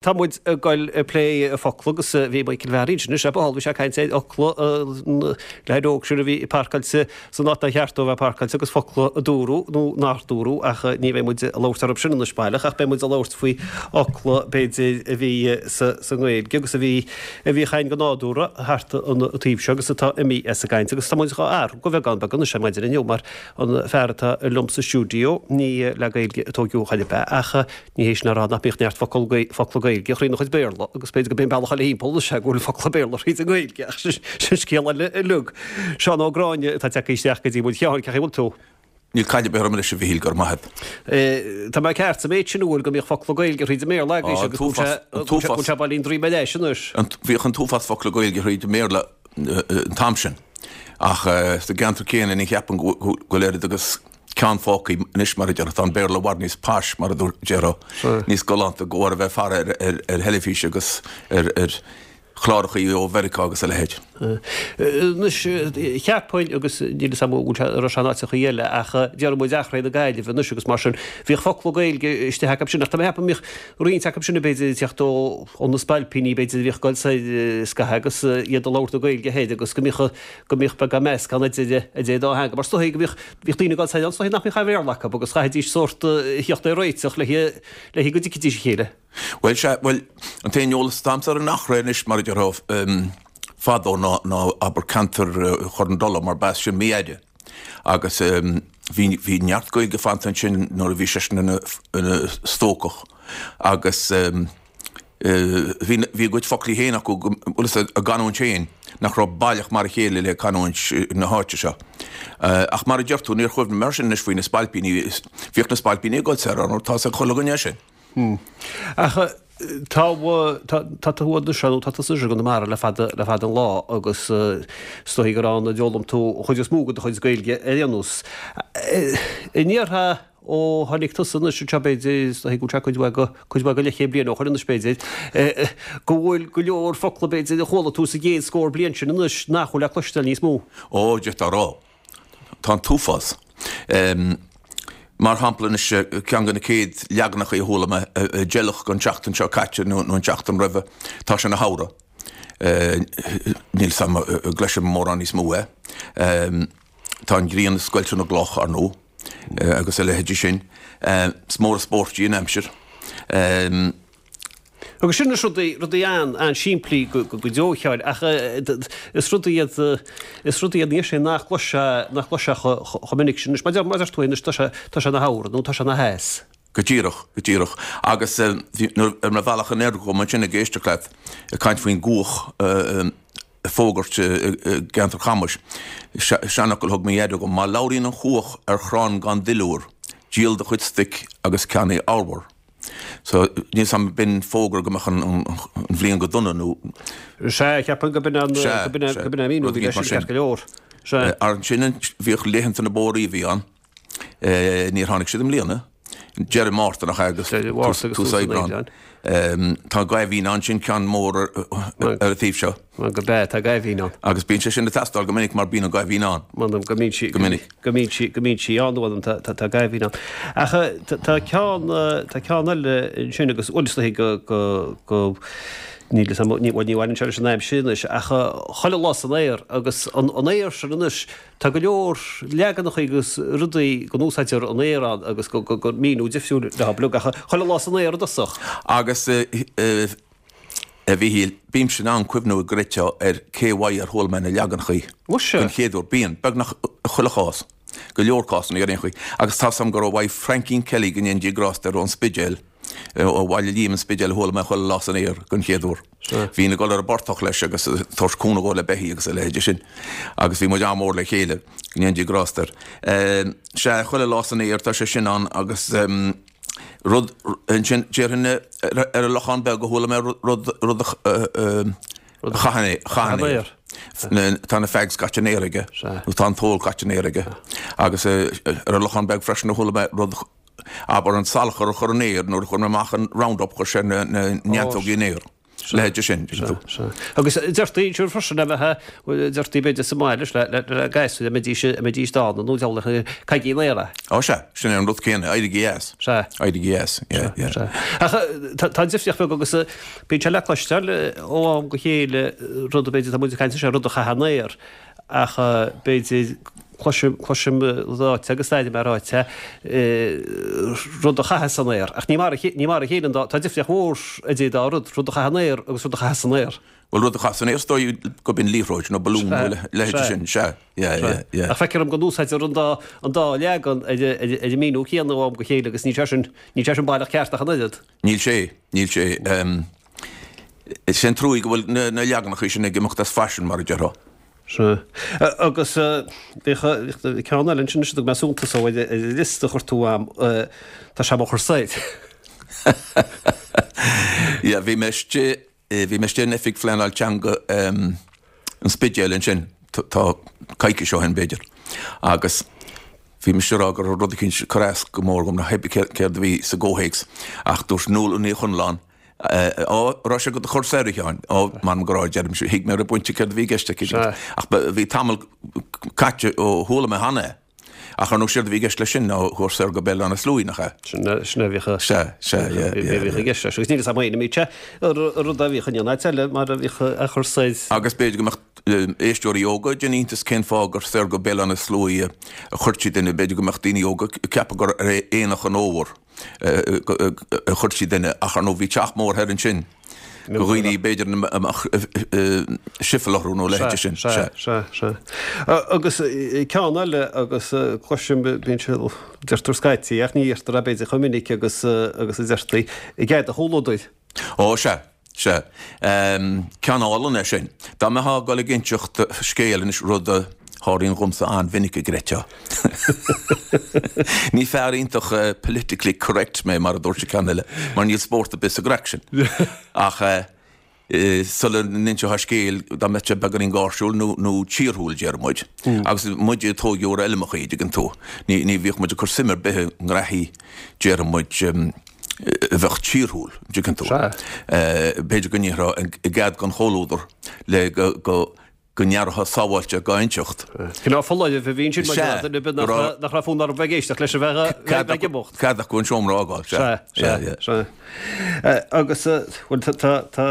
Tá muid ag goil ag plé focla agus bhí Michael Mheáraí ansin anois ar ball, bhí sé ag caint ar fhocla an leaid óg sin a bhí páirceáilte san áit nár cheart dó a bheith páirceáilte agus focla a dúradh nó nár dúradh ach ní bheidh muid ag labhairt orthu sin anois baileach ach beidh muid ag labhairt faoi fhocla b'fhéidir a bhí sa nGaeilge agus a bhí a bhíodh againn go nádúrtha thart an taobh seo agus atá imithe as an gcaint agus tá muid dhá athrú go bheagán beag anois ar maidin inniu mar an fear atá liom sa stiúideo ní le Gaeilge a tóigeadh chor ar bith ach Ní hé sin a rá nach mbíodh neart focal, focla Gaeilge thrína chuid Béarla agus b'fhéidir gurb é an bealach eile thimpeall anois é go bhfuil focla Béarla thríd an nGaeilge ach sin scéal eile uilig. Seán Ó Gráinne atá tagtha isteach go dtí muid. A Sheáin, cén chaoi a bhfuil tú? Níl caill ar bith orm anois a Mhichíl, go raibh maith agat. Tá mé ceart sa méid sin, an bhfuil, go mbíodh focla Gaeilge thríd an mBéarla agaibhse agus go bhfuil sé bailín droim ar ais anois? Bhíodh an t-uafás focla Gaeilge thríd an mBéarla an t-am sin ach sa gceantar céanna ní cheapaim go bhfuil oiread agus ceann fágtha anois mar a déarfá, tá an Béarla i bhfad níos posh mar a déarfá, níos galánta de bharr a bheith ag faire ar theilifís agus ar chlárachaí ó Mheiriceá agus a leithéid. Anois, cheapfainn, agus níl 'fhios a'm an bhfuil sé, an raibh sé in áiteachaí eile, ach déarfaidh muid Achréidh na Gaillimhe anois agus mar sin, bhíodh focla Gaeilge istigh acu sin, ach tá mé ag ceapadh go mbíodh roinnt acu sin b'fhéidir ag teacht ó ó na spailpíní b'fhéidir a bhíodh ag dul soir scaitheamh agus iad ag labhairt na Gaeilge thoir agus go mbíodh go mbíodh beagán meascán idir idir an dá theanga mar is dóigh go mbíodh Bhíodh daoine ag dul soir ann is dóigh nach mbeadh aon Bhéarla acu agus chaithfidís sórt a thíocht ar réiteach le le go dtuigfidís a chéile. Bhuel, sea, bhuel, an t-aon eolas atá a'msa ar an Achréidh anois, mar a déarfá, fadó ná, ná abair ceantar Chorr na Dola, mar b'as sin m'athair. Agus bhí, bhí neart Gaeilge fanta ansin nuair a bhí seisean ina, ina stócach. Agus. Bhí a gcuid foclaí féin acu, bhfuil fhios a'd, a gcanúint féin, nach raibh baileach mar a chéile le canúint na háite seo. Ach mar a deir tú, níor chuimhnigh mé air sin anois faoi na spailpíní, bhíodh na spailpíní ag dul soir, ar ndóigh, tá 'fhios ag chuile dhuine é sin. Ach tá, tá tú anois, nó tá tusa anois i gConamara le fada, le fada an lá agus is dóigh gur ann a d'fhoghlaim tú an chuid is mó de do chuid Gaeilge ar aon nós. An ndéarfá Ó tháinig tusa anois anseo b'fhéidir, is dóigh go bhfuil sé cuid mhaith go, cuid mhaith go leithchéad bliain ó shoin anois b'fhéidir, go bhfuil go leor focla b'fhéidir a chuala tú sa gcéad scór bliain sin anois nach bhfuil le cloisteáil níos mó. Ó, d'fhéadfá a rá. Tá an t-uafás. Mar shampla anois, ceann de na céad leaganacha a chuala mé, deilfeach an tseachtain seo caite nó an tseachtain roimhe, tá sé ina shamhradh. Níl 'fhios a'm an gcloisim mórán níos mó é. Tá an ghrian ag scoilteadh na gcloch, ar ndóigh. agus a leithéidí sin. Is mór an spórt í an aimsir. Agus sin anois rudaí, rudaí an-simplí go deo a Sheáin, ach is rudaí iad, is rudaí iad níos sé nach gcloisfeá, nach gcloisfeá chomh minic sin anois. Mar deir, mar deir tú anois, tá sé, tá sé ina shamhradh nó tá sé ina theas. Go díreach, go díreach. Agus nuair, ar mo bhealach anoir dhom ansin ag éisteacht leat ag caint faoin gcuach, ag fógairt i gceantar Chamais. Seanfhocal a thug mo dheaide dhom, má labhraíonn an chuach ar chrann gan duilliúr, díol do chuid stoic agus ceannaigh arbhar. So, níl 's a'm b'in fógra go mbeadh an bhliain go dona nó. Sea, cheapfainn go b'in an, go b'in an míniú a bhí leis sin ceart go leor. Sea. Ansin bhíodh laethanta na bpóraí a bhí ann. Níor tháinig siad i mbliana. Deireadh Márta nach ea agus tús Aibreáin. Tá Gaibhín ann, sin ceann mór ar an taobh seo. Go bea, tá Gaibhín ann. Agus bíonn sé sin ag teastáil go minic mar bíonn an Gaibhín ann. M'anam go mbíonn sí, go minic. Go mbíonn sí, go mbíonn sí ann, m'anam tá Gaibhín ann. Ach tá ceann, tá ceann eile ansin agus bhuel is dóigh go, go, go, níl 'fhios a'm, ní, bhuel ní bhaineann sé leis an aimsir anois ach chuile lá san aer agus an aer sin anois, Tá go leor leaganacha agus rudaí go n-úsáidtear an aer ann agus go míniú difriúil leo uilig ach chuile lá san aer i dtosach. Agus a Mhichíl, bímse in ann cuimhniú i gcreidfeá ar cé uaidh ar chuala mé na leaganacha den chéad uair. Bíonn, beagnach i chuile chás, go leor cásanna ar aon chaoi. Agus tá's a'm gur ó uaidh Frankie Kelly, go ndéana Dia grásta air, ón Spidéal, ó Bhaile Liam, an Spidéal, a chuala mé chuile lá san aer den chéad uair. Bhínn ag dul ar an bportach leis agus ag tabhairt cúnamh dhó le beithígh agus a leithéide sin agus bhí muid an-mhór le chéile, go ndéana Dia grásta air. Sea, chuile lá san aer, tá sé sin ann agus rud ansin, déarfainn ar an Lochán Beag a chuala mé rud rud a chaitheann aer. Tá na fags caite in aer aige, nó tá an t-ól caite in aer aige. Agus ar an Lochán Beag freisin a chuala mé rud abair an salachar a chur in aer nuair a chuir mé amach an Roundup chuir sé na neantógaí in aer. Leithéide sin, dtuigeann tú. Sea. Agus deirtí siúd freisin a bheith, deirtí b'fhéidir sa mbaile le le gasúir a mbeidís a mbeidís dána nó deabhal caithigí an aer é. Ó sea, sin é an rud céanna, éirígí as. Sea. Éirígí as, yeah, yeah. Sea. Ach tá tá difríocht bheag agus bíonn sé le cloisteáil ó am go chéile rud b'fhéidir tá muid ag caint anseo rud a chaitheamh an aer ach b'fhéidir cloisim, cloisim ráite agus airím é ráite, rud a chaitheamh san aer. Ach ní mar a, ní mar a chéile an dá, tá difríocht mhór idir dá rud, rud a chaitheamh an aer agus rud a chaitheamh san aer. Bhuel, rud a chaitheamh san aer, is dóigh gurb in liathróid nó balún nó a leithéid sin, sea, yeah, yeah, yeah. Ach feictear dom go n-úsáidtear an dá, an dá leagan ar, ar, ar an míniú céanna ó am go chéile agus níl sé sin, níl sé sin baileach ceart ach an oiread. Níl sé, níl sé. Is é an truaí go bhfuil na leaganacha sin ag imeacht as faisean, mar a déarfá. Sea. Agus bhíodh ceann eile ansin a dtug mé suntas dó ar an liosta a chuir tú a'm, tá sé mo chur soir. Yeah, bhí mé istigh, bhí mé istigh in Oifig Phleanáil Teanga an Spidéil ansin, tá coicís ó shin b'fhéidir, agus bhí mise ag rá go raibh rud eicínt ag cur as go mór dhom, ná pé céard a bhí sa gcomhthéacs, ach dúirt Nuala Ní Chonláin, Á, raibh sé do chur soir, a Sheáin. Á, m'anam go raibh, a deirimse. Thuig mé ar an bpointe céard a bhí i gceist aici. Ach bhí tamall caite ó chuala mé cheana é. Ach ar ndóigh séard a bhí i gceist leis sin ná chur soir go Béal Átha na Sluaighe, nach ea? Sin é a bhíodh Sea, sea, yeah, yeah, yeah. i gceist leis. Agus níl 'fhios a'm féin an mbíodh sé an rud a bhíodh in aon áit eile mar a bhíodh á chur soir. Agus b'fhéidir go mbeadh éisteoirí óga ag déanamh iontas cén fáth gur soir go Béal Átha na Sluaighe a chuirtí duine. B'fhéidir go mbeadh daoine óga ag ceapadh gur ar Aonach an Fhómhair a chuirtí duine ach ar ndóigh bhí teach mór thoir ansin do dhaoine b'fhéidir a mbeadh sifil orthu nó a leithéid sin. Sea, sea, sea. Agus ceann eile agus cloisim, bíonn sé, deirtear scaití ach ní dheirtear é b'fhéidir chomh minic agus agus a deirtí, i gcead do chomhluadair. Ó, sea, sea. Ceann álainn é sin. Dá mbeifeá ag dul ag inseacht scéil anois, rud a tharlaíonn dhomsa an-mhinic an gcreidfeá. Ní fear iontach politically correct mé, mar a dúirt an ceann eile, mar níl spórt ar bith sa gcraic sin. Ach sula n-inseofá scéal, dá mbeadh sé beagáinín gáirsiúil nó, nó tíorthúil, déarfaidh muid. Agus muid a tóigeadh ar fheilmeachaí, dtuigeann tú, ní, ní bhíodh muid ag cur suim ar bith i ngraithí, déarfaidh muid, a bheadh tíorthúil, dtuigeann tú. B'fhéidir go ndéarfá i gcead don chomhluadar le go, go, go n-aireofá sábháilte dhá inseacht. Cineál foláireamh a bhí ansin maidir le duine ar bith nach raibh fonn orthu bheith ag éisteacht leis a bheith ag imeacht. Cead acu an seomra a fhágáil, sea. Sea, sea, sea. Agus, bhuel, tá, tá,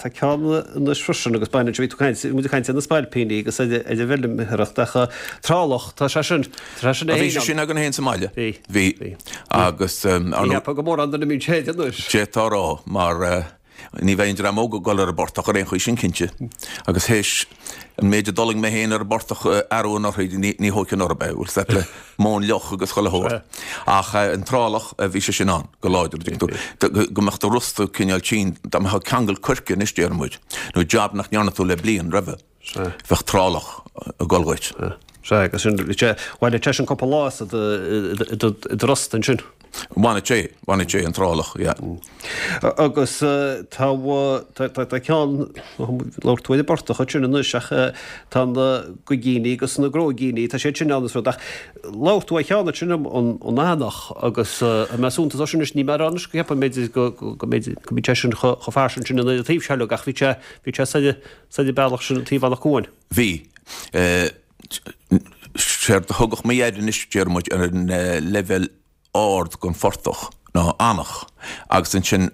tá ceann anois freisin agus baineann sé, bhí tú ag caint, muid ag caint ar na spailpíní agus ar an bhfeilméaracht ach trálach, tá sé sin, tá sé sin é féin. Bhí sé sin againn féin sa mbaile. Bhí. Bhí. Agus. Ní cheapfá go mórán duine a mbíonn sé anois. D'fhéadfá a rá, mar. Ní bheidh an dream óg ag dul ar an bportach ar aon chaoi, sin cinnte. Agus théis an méid a d'fhulaing mé féin ar an bportach arú anuraidh, ní thógfainn orthu é, bhfuil 's agat, le móin fhliuch agus chuile shórt. Ach an trálach, bhí sé sin ann go láidir, dtuigeann tú, go mbeadh do rosta cineál tinn, dá mbeifeá ag ceangal coirce anois, déarfaidh muid, nó jab nach ndearna tú le bliain roimhe, bheadh trálach ag dul dhuit. Sea, agus sin, bhaineadh sé sin cúpla lá as i do rosta ansin. Bhaineadh sé, bhaineadh sé an trálach, yeah. Agus tá, tá ceann, labhair tú ar an bportach ansin anois ach tá na gaigíní agus na gróigíní, tá siad sin ann is rud ach labhair tú ar cheann ansin an eanach agus mé suntas sin anois, ní mar anois go gceapaim b'fhéidir go, go mb'fhéidir go mbíonn sé sin chomh fairsing sin an taobh seo ach bhí sé, bhí sé sa, sa bealach sin taobh Eanach Cuain. Bhí. Séard a thugadh mo dhaid anois, déarfaidh muid, ar an leibhéal ard den phortach ná eanach agus ansin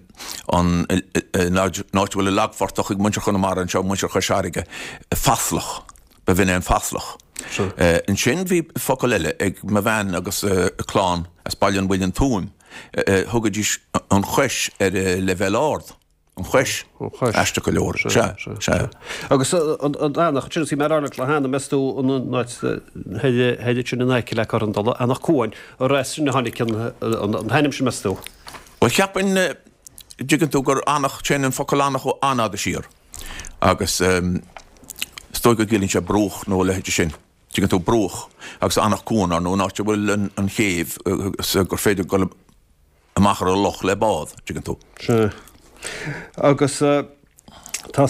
an áit a bhfuil an lagphortach ag muintir Chonamara anseo, muintir Chois Fharraige, faslach, ba bh'in é an faslach. Ansin bhí focal eile ag mo bhean agus a clann as Baile an Mhuilinn Tuaim, thugaidís an chois ar an leibhéal ard. An chois. An chois. Aisteach go leor. Sea, sea. Agus an eanach, sin is mé ag rá leat le hAnna, meas tú an áit thoir sin in aice le Corran Dola, Eanach Cuain, ar as sin a tháinig an t-ainm sin, meas tú? Bhuel, cheapfainn, dtuigeann tú, gur eanach, téann an focal eanach ó an-fhada siar agus is dóigh go gciallaíonn sé bruach nó a leithéid sin. Tuigeann tú, bruach agus Eanach Cuain, ar ndóigh, an áit a bhfuil an chéibh agus gur féidir dul amach ar an loch le bád, tuigeann tú. Sea. Agus tá tá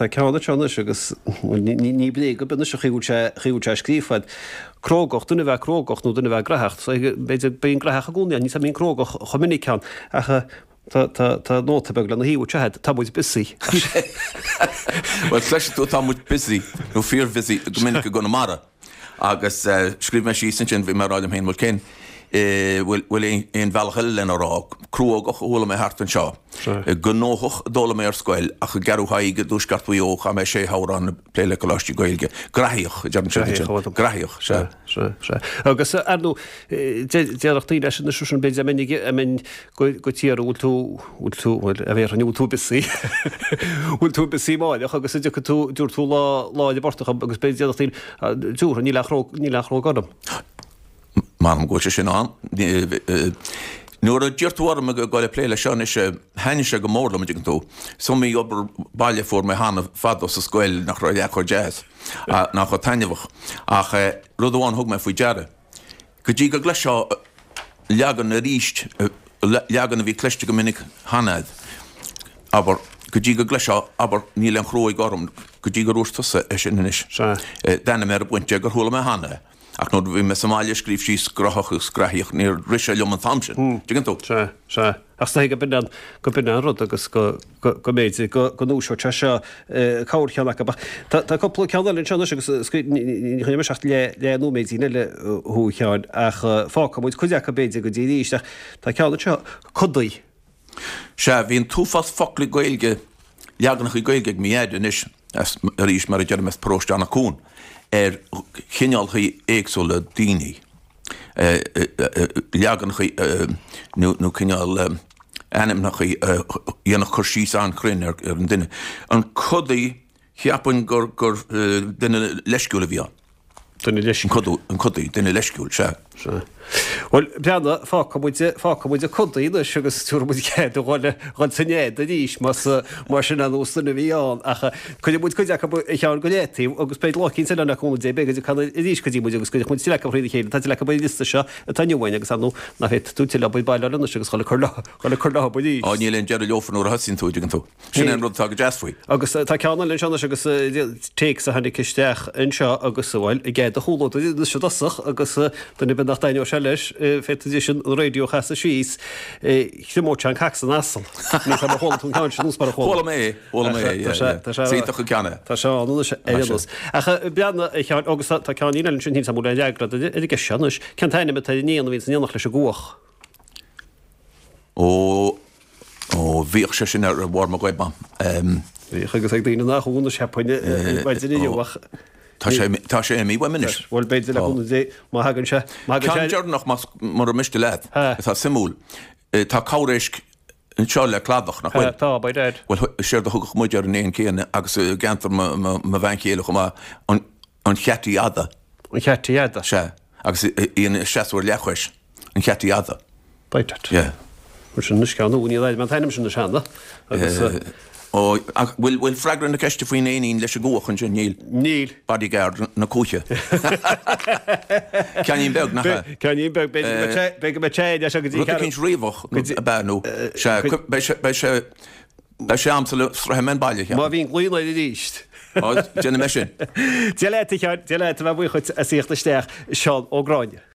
ceann anseo anois agus ní bréag ar bith anois an chaoi a bhfuil sé, chaoi a bhfuil sé scríofa. Crógacht, duine a bheith crógach nó duine a bheith graitheach. B'fhéidir bíonn graitheach i gcónaí ann, ní bhíonn crógach chomh minic ann. Ach. Tá, tá, tá nóta beag lena thaobh anseo agat, tá muid busy. Bhuel, cloisfidh tú tá muid busy, nó fíor-bhusy, go minic i gConamara. Agus scríobh mé síos ansin, bhí mé ag rá liom féin, bhuel cén, bhfuil, bhfuil aon bhealach eile lena rá? Cruógach a chuala mé thart anseo. Gnóthach a d'fhoghlaim mé ar scoil, ach i gCeathrú Thaidhg i dtuaisceart Mhaigh Eo chaith mé sé shamhradh ag plé le coláistí Gaeilge. Graithíoch, a deireann siad ansin. Graithíoch, sea. Sea, sea. Agus, ar ndóigh, déarfadh daoine leis anois sin, b'fhéidir, a mbeinn go tír, bhfuil tú, bhfuil tú, bhuel, a bhéarfainn, bhfuil tú busy? Bhfuil tú busy amáireach agus a dtiocfaidh tú, dúirt tú lá, lá i bportach agus b'fhéidir déarfadh daoine, dúrtha, níl aon chró, níl aon chruóg orm. M'anam go bhfuil sé sin ann. Nuair a d'iarr tú orm ag dul ag plé leis seo anois, thaitnigh sé go mór liom, an dtuigeann tú. Is iomaí obair baile a fuair mé cheana fadó sa scoil nach raibh leath chomh deas, ná chomh taitneamhach. Ach rud amháin a thug mé faoi deara, go dtí go gcloisfeá leagan arís, leagan a bhí cloiste go minic cheana agat, abair, go dtí go gcloisfeá, abair, níl aon chruóig orm, go dtí gur dhúirt tusa é sin anois. D'fhan mé ar an bpointe gur chuala mé cheana é. Ach nuair a bhí mé sa mbaile ag scríobh síos graitheach agus graithíoch, níor rith sé liom an t-am sin. Tuigeann tú? Sea, sea. Ach is dóigh go b'in an, go b'in an rud agus go, go, go mb'fhéidir go, go ndúiseodh sé seo corrcheann acu. Ach tá, tá cúpla ceann eile anseo anois agus ní, ní choinneoidh mise ach leath, leath nóiméidín eile thú a Sheáin ach fágfaidh muid cuid acu b'fhéidir go dtí arís ach tá ceann anseo, codaí. Sea, bhí an t-uafás foclaí Gaeilge, leaganachaí Gaeilge ag mo dhaid anois, as, arís, mar a deirim, as paróiste Eanach Cuain, ar chineálchaí éagsúla daoine, leaganachaí nó, nó cineál ainmneachaí a dhéanfadh cur síos an-chruinn ar an duine. An codaí, Cheapfainn gur, gur duine leisciúil a bhí ann. Duine leisciúil. An codaí, duine leisciúil, sea. Sea. Bhuel, breathnaigh, fágfaidh muid, fágfaidh muid an codaí anois agus tabharfaidh muid cead a dhul, dhul san fhead arís más, más sin an nós duine a bhí ann. Ach cuirfidh muid cuid acu a Sheáin go leataobh agus beidh lá eicínt eile ann le cúnamh Dé, beidh go dtiocfaidh arís go dtí muid agus cuirfidh muid tuilleadh acu thrína chéile. Tá tuilleadh acu ar an liosta seo atá inniu againn agus ar ndóigh nach bhféadfaidh tú tuilleadh obair baile a fháil anois agus dhul ag cur leo, dhul ag cur leo arís. Á, níl aon deireadh leofa nuair a thosaíonn tú, an dtuigeann tú. Sin é an rud atá go deas faoi. Agus tá ceann eile anseo anois agus téacs a tháinig isteach anseo agus, bhuel, i gcead do chomhluadar anois i dtosach agus duine ar bith nach dtaitneodh sé leis, féadfaidís an raidió a chasadh síos, Thriomódh sé an cac san asal. Níl 's agam ar chuala tú an ceann sin nó mara chuala. Chuala mé é, chuala mé é, yeah, yeah. Is iontach an ceann é. Tá sé ann anois ar aon nós. Ach breathnaigh, a Sheáin, agus tá ceann eile ansin, níl 's agam an bhfuil aon fhreagra ar an gceist seo anois. Cén t-ainm atá ar an éan a bhíonn san aonach leis an gcuach? Ó. Ó, bhíodh sé sin ar bharr mo ghoib a'm. Bhíodh agus ag daoine nach ionadh cheapfainn ar maidin inniu ach. Tá sé, tá sé imithe uaim anois. Bhuel, b'fhéidir le cúnamh Dé, má thagann sé, má thagann sé. Ceann deireanach, más, mura miste leat, atá suimiúil. Tá corr-éisc anseo le cladach, nach bhfuil? Tá, by dad. Bhuel, séard a thugadh muid ar an éan céanna agus i gceantar mo, mo, mo bhean chéile chomh maith, an, an cheataí fhada. An cheataí fhada. Sea, agus í ina seasamh ar leathchois. An cheataí fhada. By dad. Yeah. Mar sin anois ceann úr, ní raibh mé an t-ainm sin anois cheana agus. Ó, ach bhfuil, bhfuil freagra na ceiste faoin éinín leis an gcuach ansin? Níl. Níl. Bodyguard na cuaiche. Ceainnín beag, nach ea? Ceainnín beag, b'fhéidir go mbeidh sé, b'fhéidir go mbeidh sé leis go dtí Rud eicínt riabhach, ab ea, nó, sea, beidh sé, beidh sé, beidh sé a'msa sula sroichfidh mé an baile, cheapfainn. Má bhíonn glaoigh air arís. Ó, déanfaidh mé sin. Dia leat, a Sheáin, Dia leat, a bheith buíoch dhuit as a thíocht isteach, Seán Ó Gráinne.